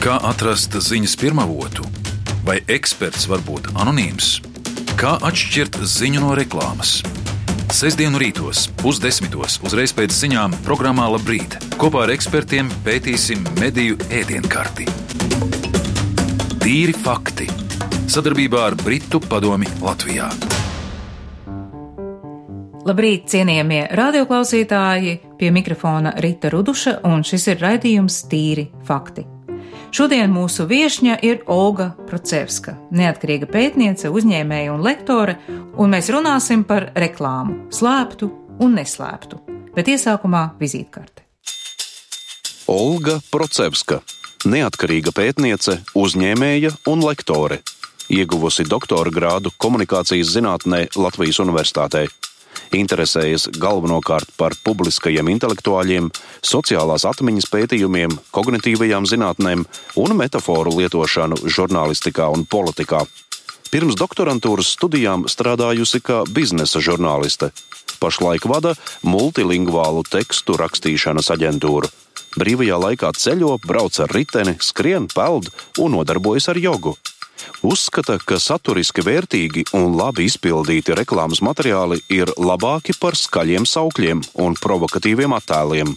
Kā atrast ziņas pirmavotu? Vai eksperts var būt anonīms? Kā atšķirt ziņu no reklāmas? Sestdienu rītos, 9:30, uzreiz pēc ziņām programmā Labrīt. Kopā ar ekspertiem pētīsim mediju ēdienkarti. Tīri fakti. Sadarbībā ar Britu padomi Latvijā. Labrīt, cienījamie radioklausītāji, pie mikrofona Rita Ruduša, un šis ir raidījums Tīri fakti. Šodien mūsu viešņa ir Olga Procevska, neatkarīga pētniece, uzņēmēja un lektore, un mēs runāsim par reklāmu, slēptu un neslēptu, bet iesākumā vizītkarte. Olga Procevska, neatkarīga pētniece, uzņēmēja un lektore, ieguvusi doktora grādu komunikācijas zinātnē Latvijas Universitātē. Interesējas galvenokārt par publiskajiem intelektuāļiem, sociālās atmiņas pētījumiem, kognitīvajām zinātnēm un metaforu lietošanu žurnālistikā un politikā. Pirms doktorantūras studijām strādājusi kā biznesa žurnāliste. Pašlaik vada multilingvālu tekstu rakstīšanas aģentūru. Brīvajā laikā ceļo, brauc ar riteni, skrien, peld un nodarbojas ar jogu. Uzskata, ka saturiski vērtīgi un labi izpildīti reklāmas materiāli ir labāki par skaļiem saukļiem un provokatīviem attēliem.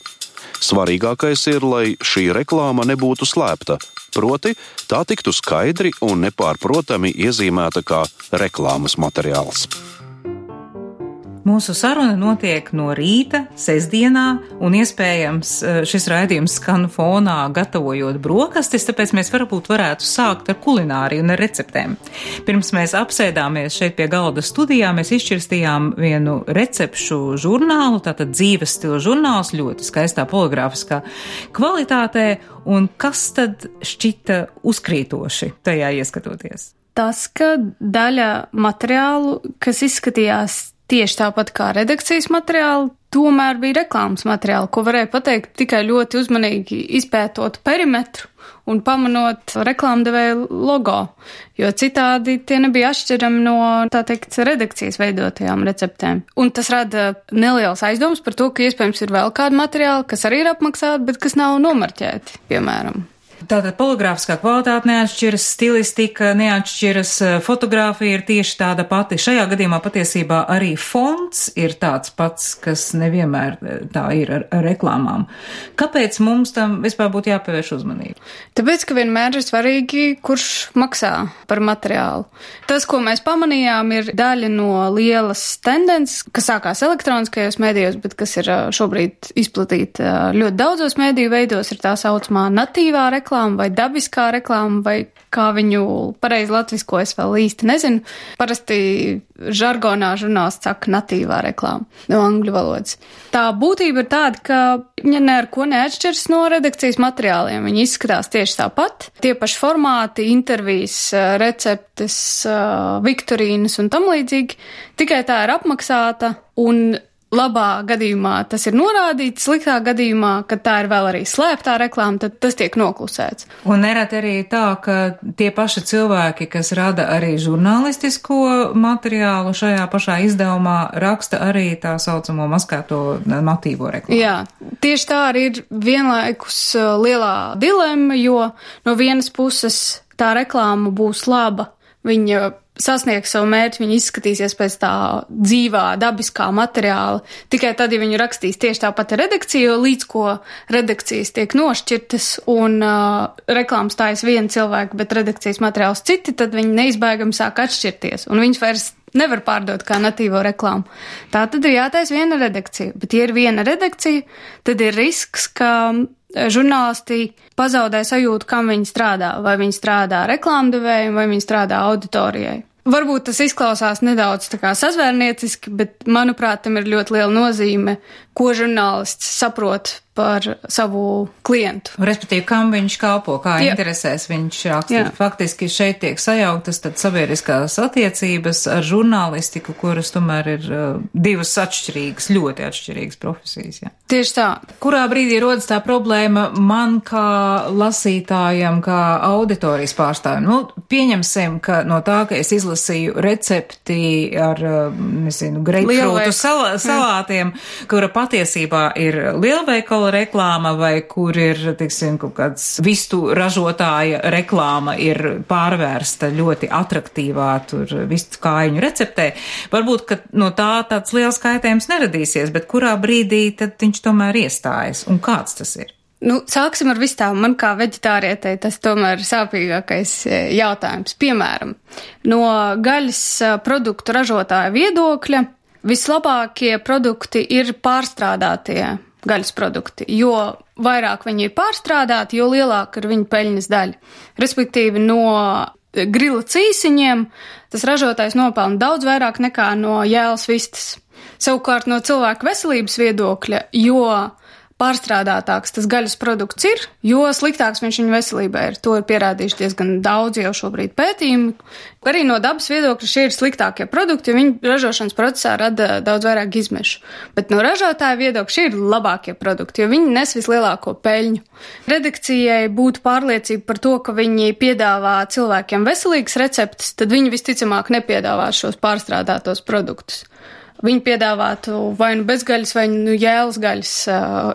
Svarīgākais ir, lai šī reklāma nebūtu slēpta, proti tā tiktu skaidri un nepārprotami iezīmēta kā reklāmas materiāls. Mūsu saruna notiek no rīta, sestdienā, un iespējams šis raidījums skan fonā gatavojot brokastis, tāpēc mēs varbūt varētu sākt ar kulināriju un ar receptēm. Pirms mēs apsēdāmies šeit pie galda studijā, mēs izšķirstījām vienu recepšu žurnālu, tātad dzīves stila žurnāls, ļoti skaistā poligrāfiskā kvalitātē, un kas tad šķita uzkrītoši tajā ieskatoties? Tas, ka daļa materiālu, kas izskatījās tieši tāpat kā redakcijas materiāli, tomēr bija reklāmas materiāli, ko varēja pateikt tikai ļoti uzmanīgi izpētot perimetru un pamanot reklāmdevēja logo, jo citādi tie nebija atšķirami no, tā teikt, redakcijas veidotajām receptēm. Un tas rada neliels aizdoms par to, ka iespējams ir vēl kādi materiāli, kas arī ir apmaksāti, bet kas nav nomarķēti, piemēram. Tātad poligrāfiskā kvalitāte neatšķiras, stilistika neatšķiras, fotogrāfija ir tieši tāda pati. Šajā gadījumā patiesībā arī fonts ir tāds pats, kas nevienmēr tā ir ar reklāmām. Kāpēc mums tam vispār būtu jāpievērš uzmanība? Tāpēc, ka vienmēr ir svarīgi, kurš maksā par materiālu. Tas, ko mēs pamanījām, ir daļa no lielas tendences, kas sākās elektroniskajos mēdījos, bet kas ir šobrīd izplatīta ļoti daudzos mēdīju veidos, ir tā saucamā natīvā reklāma vai dabiskā reklāma, vai kā viņu pareizi latvisko es vēl īsti nezinu. Parasti žargonā žurnālists saka natīvā reklāma no angļu valodas. Tā būtība ir tāda, ka viņa ne ar ko neatšķiras no redakcijas materiāliem. Viņi izskatās tieši tāpat. Tie paši formāti, intervijas, receptes, viktorīnas un tam līdzīgi. Tikai tā ir apmaksāta un labā gadījumā tas ir norādīts, sliktā gadījumā, kad tā ir vēl arī slēptā reklāma, tad tas tiek noklusēts. Un nereti arī tā, ka tie paši cilvēki, kas rada arī žurnālistisko materiālu šajā pašā izdevumā, raksta arī tā saucamo maskēto natīvo reklāmu. Jā, tieši tā arī ir vienlaikus lielā dilemma, jo no vienas puses tā reklāma būs laba, viņa sasniegs savu mērķi, viņi izskatīsies pēc tā dzīvā, dabiskā materiāla. Tikai tad, ja viņi rakstīs tieši tāpat redakciju, jo līdz ko redakcijas tiek nošķirtas un reklāmas stājas viena cilvēka, bet redakcijas materiāls citi, tad viņi neizbēgami sāk atšķirties. Un viņus vairs nevar pārdot kā natīvo reklāmu. Tā tad ir jātaisa viena redakcija. Bet, ja ir viena redakcija, tad ir risks, ka žurnālisti pazaudē sajūtu, kam viņi strādā. Vai viņi strādā reklāmdevējiem, vai viņi strādā auditorijai. Varbūt tas izklausās nedaudz tā kā sazvērnieciski, bet, manuprāt, tam ir ļoti liela nozīme, ko žurnālists saprot par savu klientu. Respektīvi, kam viņš kalpo, kā interesēs viņš raksta. Faktiski šeit tiek sajauktas tad sabiedriskās attiecības ar žurnālistiku, kuras tomēr ir divas atšķirīgas, ļoti atšķirīgas profesijas. Jā. Tieši tā. Kurā brīdī rodas tā problēma man kā lasītājam, kā auditorijas pārstāvjam? Nu, pieņemsim, ka no tā, ka es izlasīju recepti ar, greipfrūtu salātiem, kura patiesībā ir lielveikala veikala reklāma vai kur ir, teiksim, kaut kāds vistu ražotāja reklāma ir pārvērsta ļoti atraktīvā tur vistu kājiņu receptē. Varbūt, ka no tā tāds liels kaitējums neradīsies, bet kurā brīdī tad viņš tomēr iestājas un kāds tas ir? Sāksim ar vistām. Man kā veģetārietei tas tomēr ir sāpīgākais jautājums. Piemēram, no gaļas produktu ražotāja viedokļa vislabākie produkti ir pārstrādātie gaļas produkti, jo vairāk viņi ir pārstrādāti, jo lielāka ir viņa peļņas daļa. Respektīvi, no grila cīsiņiem tas ražotājs nopelna daudz vairāk nekā no jēlas vistas. Savukārt no cilvēku veselības viedokļa, jo pārstrādātāks tas gaļas produkts ir, jo sliktāks viņš viņa veselībai ir. To ir pierādījuši diezgan daudz jau šobrīd pētījumi. Arī no dabas viedokļa šie ir sliktākie produkti, jo viņi ražošanas procesā rada daudz vairāk izmešu. Bet no ražotāja viedokļa šie ir labākie produkti, jo viņi nes vislielāko peļņu. Redakcijai būtu pārliecība par to, ka viņi piedāvā cilvēkiem veselīgas receptes, tad viņi visticamāk nepiedāvās šos pārstrādātos produktus. Viņi piedāvātu vai nu bezgaļas, vai nu jēlas gaļas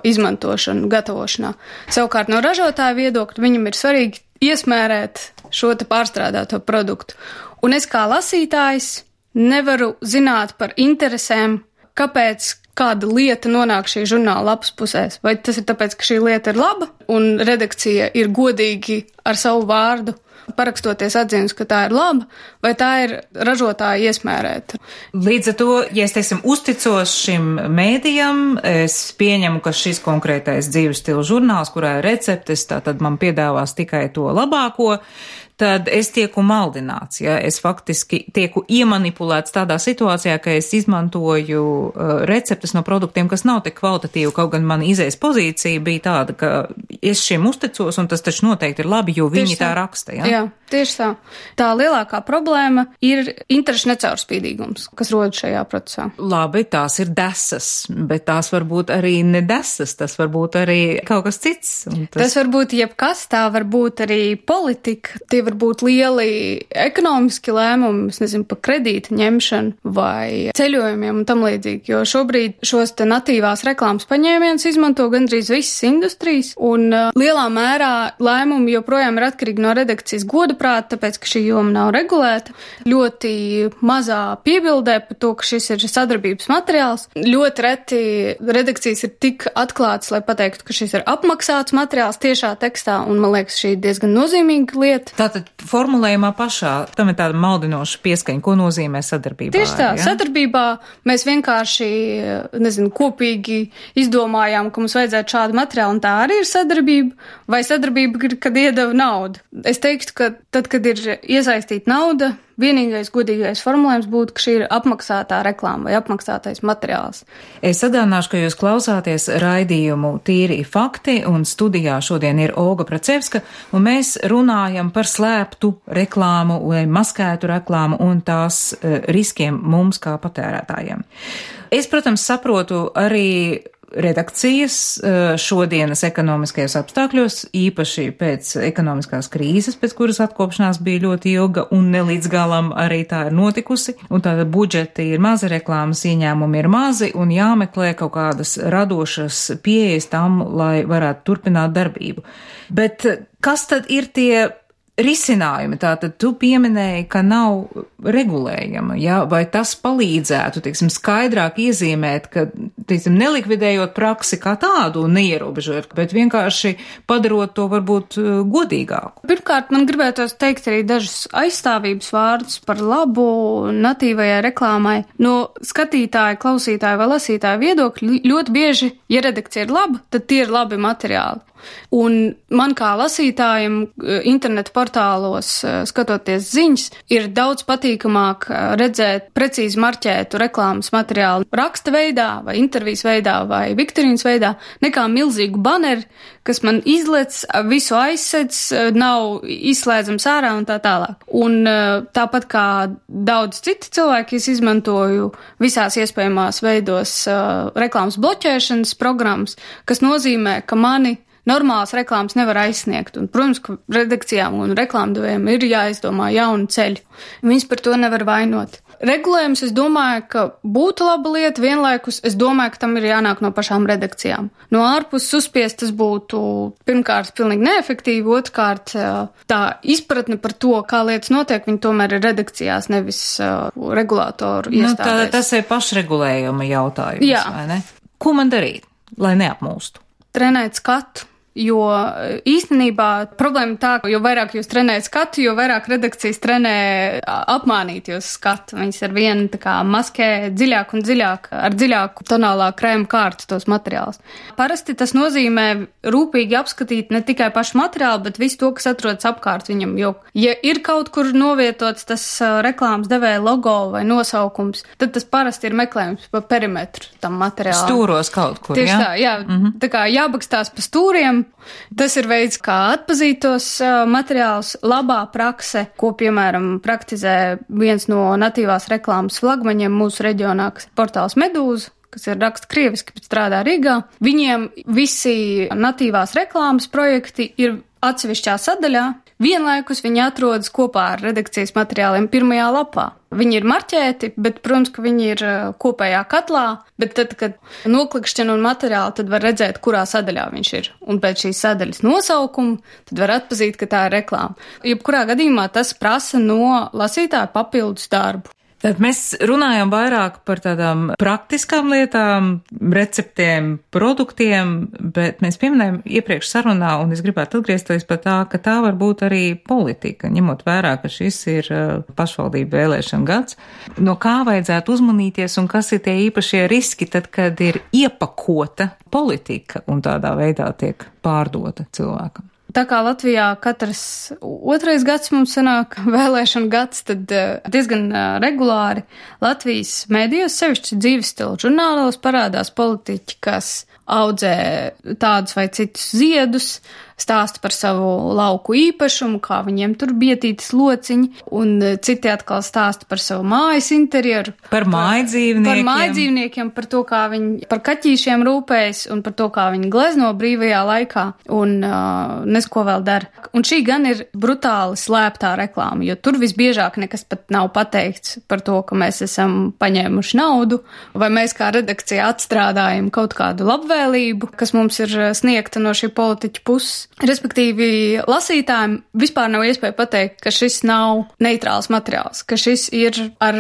izmantošanu, gatavošanā. Savukārt no ražotāja viedokļa viņam ir svarīgi iesmērēt šo te pārstrādāto produktu. Un es kā lasītājs nevaru zināt par interesēm, kāpēc kāda lieta nonāk šī žurnāla lapas pusēs. Vai tas ir tāpēc, ka šī lieta ir laba un redakcija ir godīgi ar savu vārdu parakstoties atzīmes, ka tā ir laba, vai tā ir ražotāja iesmērēta. Līdz ar to, ja es, teiksim, uzticos šim mēdījam, es pieņemu, ka šis konkrētais dzīves stila žurnāls, kurā ir receptes, tad man piedāvās tikai to labāko, tad es tieku maldināts, ja es faktiski tieku iemanipulēts tādā situācijā, ka es izmantoju receptes no produktiem, kas nav tik kvalitatīvi, kaut gan man izējas pozīcija bija tāda, ka es šiem uzticos, un tas taču noteikti ir labi, jo viņi tā raksta, ja? Jā, tieši tā. Tā lielākā problēma ir interešu necaurspīdīgums, kas rodas šajā procesā. Labi, tās ir desas, bet tās varbūt arī nedesas, tas varbūt arī kaut kas cits. Tas varbūt jebkas, tā varbūt arī politika, tie var būt lieli ekonomiski lēmumi, es nezinu, pa kredīta ņemšanu vai ceļojumiem un tam līdzīgi, jo šobrīd šos te natīvās reklāmas paņēmienus izmanto gandrīz visas industrijas, un lielā mērā lēmumi joprojām ir atkarīgi no redakcijas godaprāta, tāpēc, ka šī joma nav regulēta. Ļoti mazā piebildē par to, ka šis ir sadarbības materiāls. Ļoti reti redakcijas ir tik atklātas, lai pateiktu, ka šis ir apmaksāts materiāls tiešā tekstā, un man liekas, šī ir diezgan nozīmīga lieta. Tātad formulējumā pašā, tam ir tāda maldinoša pieskaņa, ko nozīmē sadarbībā? Tieši tā, ja? Sadarbībā mēs vienkārši, kopīgi izdomājām, ka mums vajadzētu šādu materiālu, un tā arī ir sadarbība, vai sadarbība ir, kad iedeva naudu. Es teiktu, ka tad, kad ir iesaistīta nauda, vienīgais godīgais formulējums būtu, ka šī ir apmaksātā reklāma vai apmaksātais materiāls. Es atgādināšu, ka jūs klausāties raidījumu Tīri fakti, un studijā šodien ir Olga Procevska, un mēs runājam par slēptu reklāmu vai maskētu reklāmu un tās riskiem mums kā patērētājiem. Es, protams, saprotu arī redakcijas šodienas ekonomiskajos apstākļos, īpaši pēc ekonomiskās krīzes, pēc kuras atkopšanās bija ļoti ilga un ne līdz galam arī tā ir notikusi, un tāda budžeti ir mazi, reklāmas ieņēmumi ir mazi un jāmeklē kaut kādas radošas pieejas tam, lai varētu turpināt darbību. Bet kas tad ir tie risinājumi? Tātad tu pieminēji, ka nav regulējama, ja? Vai tas palīdzētu, skaidrāk iezīmēt, ka, nelikvidējot praksi kā tādu un neierobežot, bet vienkārši padarot to varbūt godīgāku? Pirmkārt, man gribētos teikt arī dažus aizstāvības vārdus par labu natīvajai reklāmai. No skatītāja, klausītāja vai lasītāja viedokļa ļoti bieži, ja redakcija ir laba, tad tie ir labi materiāli. Un man kā lasītājam internetu portālos, skatoties ziņas, ir daudz patīkamāk redzēt precīzi marķētu reklāmas materiālu raksta veidā vai intervijas veidā vai viktorīnas veidā, nekā milzīgu baneri, kas man izlec, visu aizsedz, nav izslēdzams ārā un tā tālāk. Un tāpat kā daudz citi cilvēki, es izmantoju visās iespējamās veidos reklāmas bloķēšanas programmas, kas nozīmē, ka mani normālas reklāmas nevar aizsniegt. Un, protams, ka redakcijām un reklāmdevējiem ir jāizdomā jauni ceļi. Viņus par to nevar vainot. Regulējums, es domāju, ka būtu laba lieta, vienlaikus es domāju, ka tam ir jānāk no pašām redakcijām. No ārpuses uzspiest tas būtu pirmkārt pilnīgi neefektīvi, otrkārt tā izpratne par to, kā lietas notiek, viņi tomēr ir redakcijās, nevis regulātoru iestādēs. Tas ir pašregulējuma jautājums, vai ne? Ko man darīt, lai neapmūstu? Trenēt skatu. Jo īstenībā problēma tā, ka jo vairāk jūs trenējat skatu, jo vairāk redakcijas trenē apmānīt jūs skatu. Viņas ar vienu tā kā maskē dziļāk un dziļāk, ar dziļāku tonālā krēma kārtu tos materiālus. Parasti tas nozīmē rūpīgi apskatīt ne tikai pašu materiālu, bet visu to, kas atrodas apkārt viņam. Jo, ja ir kaut kur novietots tas reklāmas devēja logo vai nosaukums, tad tas parasti ir meklējums pa perimetru tam materiālam. Stūros kaut kur, tieši tā, jā. Tā kā jābakstās pa stūriem. Tas ir veids, kā atpazīt tos materiālus. Labā prakse, ko, piemēram, praktizē viens no natīvās reklāmas flagmaņiem mūsu reģionā, kas ir portāls Medūza, kas ir raksta krieviski, bet strādā Rīgā. Viņiem visi natīvās reklāmas projekti ir atsevišķā sadaļā. Vienlaikus viņi atrodas kopā ar redakcijas materiāliem pirmajā lapā. Viņi ir marķēti, bet, protams, ka viņi ir kopējā katlā, bet tad, kad noklikšķina un materiāli, tad var redzēt, kurā sadaļā viņš ir. Un pēc šīs sadaļas nosaukuma, tad var atpazīt, ka tā ir reklāma. Jebkurā gadījumā tas prasa no lasītāja papildus darbu. Tad mēs runājam vairāk par tādām praktiskām lietām, receptēm, produktiem, bet mēs pieminējam iepriekš sarunā, un es gribētu atgriezties par tā, ka tā var būt arī politika, ņemot vērā, ka šis ir pašvaldību vēlēšana gads. No kā vajadzētu uzmanīties un kas ir tie īpašie riski tad, kad ir iepakota politika un tādā veidā tiek pārdota cilvēkam? Tā kā Latvijā katrs otrais gads mums sanāk vēlēšana gads, tad diezgan regulāri Latvijas mēdījos, sevišķi dzīves stila žurnālos, parādās politiķi, kas audzē tādus vai citus ziedus, stāsta par savu lauku īpašumu, kā viņiem tur bietītas lociņi, un citi atkal stāsta par savu mājas interjeru. Par mājdzīvniekiem. Par mājdzīvniekiem, par to, kā viņi par kaķīšiem rūpējas, un par to, kā viņi glezno brīvajā laikā, un nesko vēl dara. Un šī gan ir brutāli slēptā reklāma, jo tur visbiežāk nekas pat nav pateikts par to, ka mēs esam paņēmuši naudu, vai mēs kā redakcija atstrādājam kaut kādu labvēlību, kas mums ir sniegta no šī politiķa puses. Respektīvi, lasītājiem vispār nav iespēja pateikt, ka šis nav neitrāls materiāls, ka šis ir ar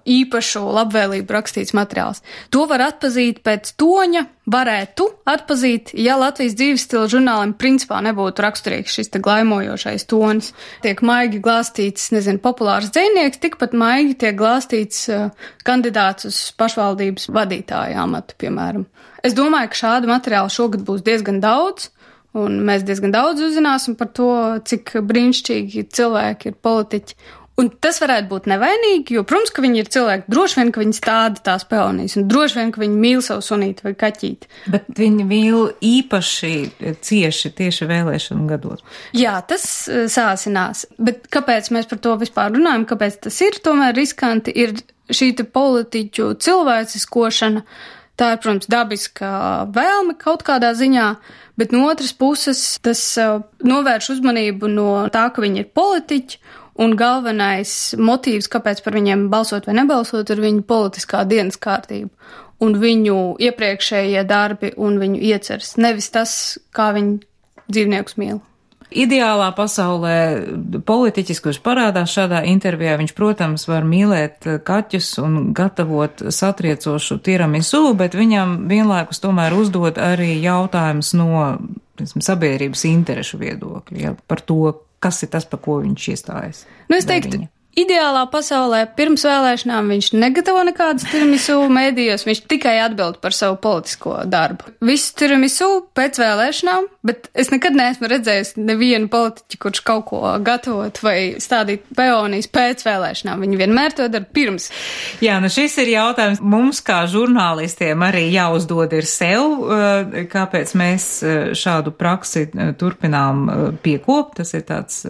īpašu labvēlību rakstīts materiāls. To var atpazīt pēc toņa, varētu atpazīt, ja Latvijas dzīves stila žurnālim principā nebūtu raksturīgs šis te glaimojošais tonis. Tiek maigi glāstīts, populārs dzejnieks, tikpat maigi tiek glāstīts kandidāts uz pašvaldības vadītāja amatu, piemēram. Es domāju, ka šādu materiālu šogad būs diezgan daudz. Un mēs diezgan daudz uzzināsim par to, cik brīnišķīgi cilvēki ir politiķi. Un tas varētu būt nevainīgi, jo, protams, ka viņi ir cilvēki, droši vien, ka viņi stāda tās peonijas, un droši vien, ka viņi mīl savu sunīti vai kaķīti. Bet viņi mīl īpaši cieši tieši vēlēšanu gados. Jā, tas sāsinās. Bet kāpēc mēs par to vispār runājam, kāpēc tas ir tomēr riskanti, ir šī te politiķu cilvēciskošana. Tā ir, protams, dabiska vēlme kaut kādā ziņā, bet no otras puses tas novērš uzmanību no tā, ka viņi ir politiķi, un galvenais motīvs, kāpēc par viņiem balsot vai nebalsot, ir viņu politiskā dienas kārtība, un viņu iepriekšējie darbi un viņu ieceres, nevis tas, kā viņi dzīvniekus mīl. Ideālā pasaulē politiķis, kurš parādās šādā intervijā, viņš, protams, var mīlēt kaķus un gatavot satriecošu tiramisu, bet viņam vienlaikus tomēr uzdod arī jautājums no sabiedrības interešu viedokļa, ja, par to, kas ir tas, par ko viņš iestājas. Es teiktu, ideālā pasaulē pirms vēlēšanām viņš negatavo nekādas tiramisu mēdījos, viņš tikai atbild par savu politisko darbu. Visu tiramisu pēc vēlēšanām, bet es nekad neesmu redzējis nevienu politiķu, kurš kaut ko gatavot vai stādīt peonijas pēc vēlēšanām. Viņi vienmēr to dara pirms. Jā, šis ir jautājums mums kā žurnālistiem arī jāuzdod ir sev, kāpēc mēs šādu praksi turpinām piekopt. Tas ir tāds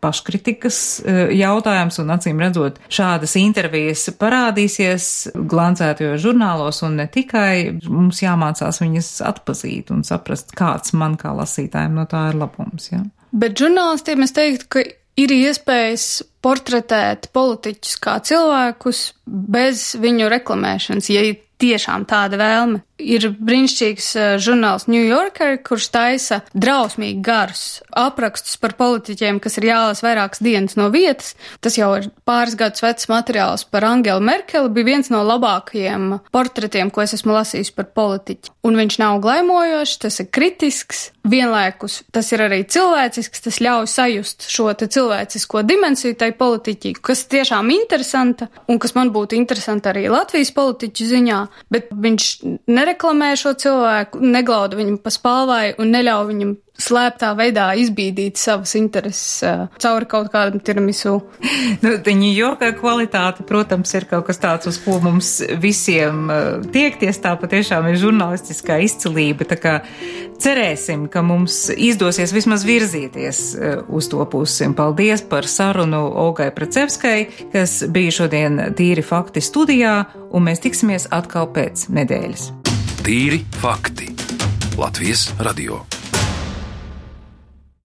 paškritikas jautājums, un acīm redzot, šādas intervijas parādīsies glancētajos žurnālos, un ne tikai mums jāmācās viņas atpazīt un saprast, kāds man kā lasītājiem no tā ir labums. Ja? Bet žurnālistiem es teiktu, ka ir iespējas portretēt politiķus kā cilvēkus bez viņu reklamēšanas, ja ir tiešām tāda vēlme. Ir brīnišķīgs žurnāls New Yorker, kurš taisa drausmīgi garus aprakstus par politiķiem, kas ir jālasa vairākas dienas no vietas. Tas jau ir pāris gadus vecs materiāls par Angelu Merkeli, bija viens no labākajiem portretiem, ko es esmu lasījis par politiķi. Un viņš nav glaimojošs, tas ir kritisks, vienlaikus tas ir arī cilvēcisks, tas ļauj sajust šo te cilvēcisko dimensiju tai politiķi, kas tiešām interesanta un kas man būtu interesanti arī Latvijas politiķu ziņā, bet viņš nereklamē šo cilvēku, neglauda viņam pa spalvai un neļauj viņam slēptā veidā izbīdīt savas intereses cauri kaut kādam tiramisu. New Yorkā kvalitāte, protams, ir kaut kas tāds, uz ko mums visiem tiekties, tā patiešām ir žurnālistiskā izcilība, tā kā cerēsim, ka mums izdosies vismaz virzīties uz to pusi. Paldies par sarunu Olgai Pracevskai, kas bija šodien Tīri fakti studijā, un mēs tiksimies atkal pēc nedēļas. Tīri fakti. Latvijas radio.